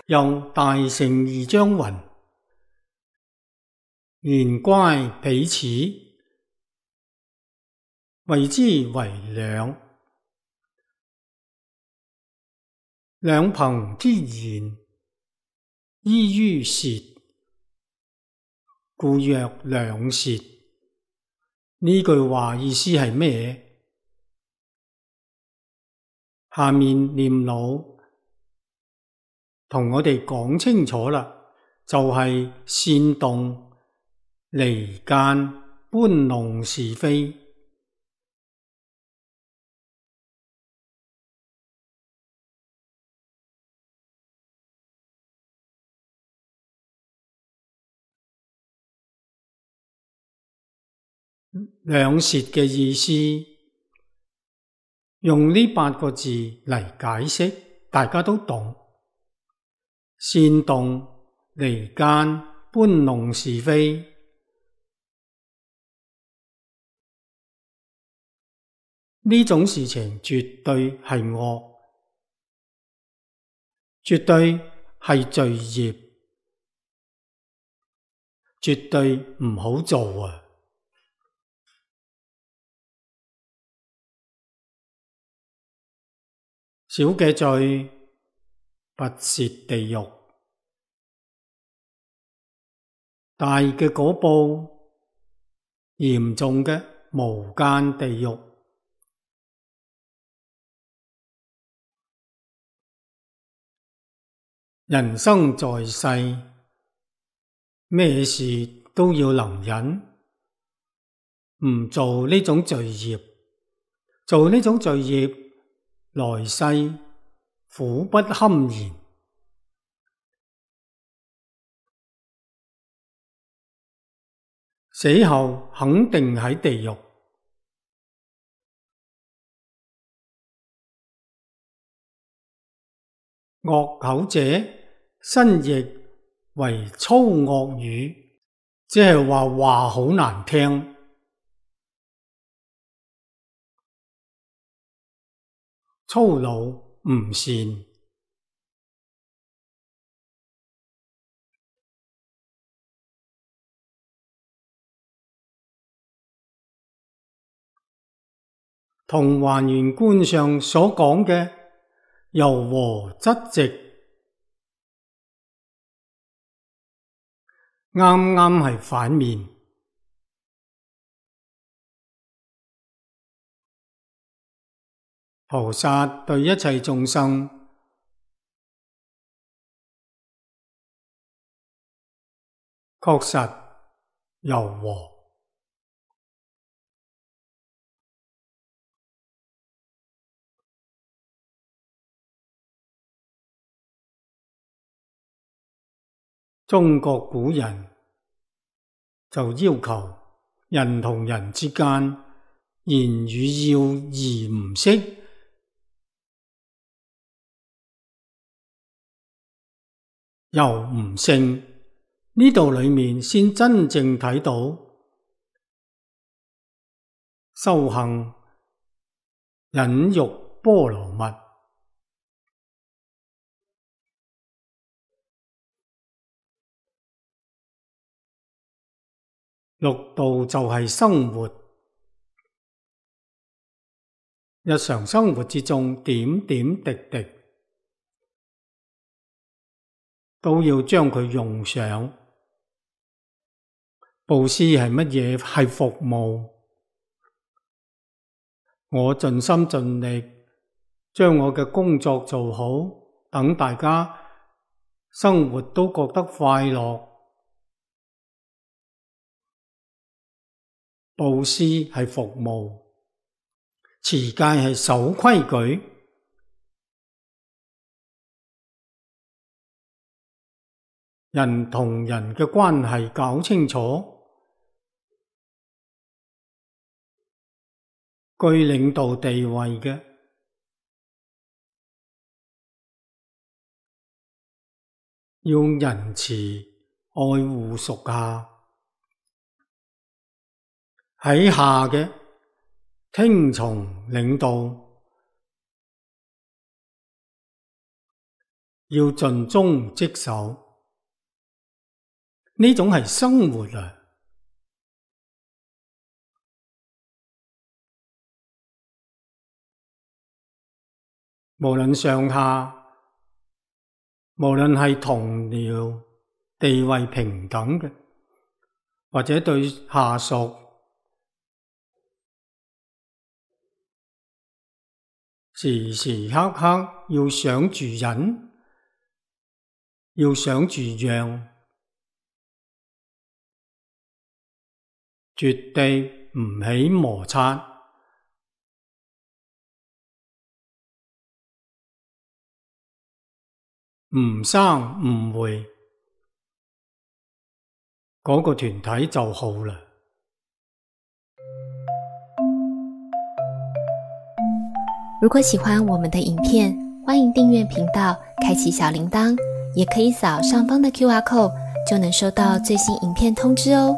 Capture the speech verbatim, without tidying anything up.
又大乘二章云：言乖彼此，謂之為兩。兩朋之言，依於舌，故曰兩舌。呢句話意思係咩？下面念老同我哋講清楚啦，就係煽動、離間、搬弄是非。兩舌嘅意思，用呢八個字嚟解釋，大家都懂。煽動、離間、搬弄是非，呢種事情絕對係惡，絕對係罪業，絕對唔好做啊！小嘅罪，拔舌地獄；大嘅果報，嚴重嘅無間地獄。人生在世，咩事都要能忍，唔做呢種罪業，做呢種罪業，來世苦不堪言，死後肯定喺地獄。惡口者，新譯為粗惡語，即係話話好難聽。粗魯唔善，同還原觀上所講嘅柔和質直，啱啱係反面。菩薩對一切眾生確實柔和。中國古人就要求人同人之間言語要義唔飾，柔唔勝，呢度裏面先真正睇到修行忍辱波羅蜜。六道就係生活，日常生活之中點點滴滴都要將佢用上。布施係乜嘢？係服務。我盡心盡力將我嘅工作做好，等大家生活都覺得快樂。布施係服務，持戒係守規矩。人同人嘅關係搞清楚，居領導地位嘅，要仁慈愛護屬下。喺下嘅聽從領導，要盡忠職守，呢種係生活啊！無論上下，無論係同僚地位平等嘅，或者對下屬時時刻刻要想住忍，要想住讓，絕對唔起摩擦，唔生誤會，嗰個團體就好啦。如果喜歡我們的影片，歡迎訂閱頻道，開啟小鈴鐺，也可以掃上方的 Q R code，就能收到最新影片通知哦。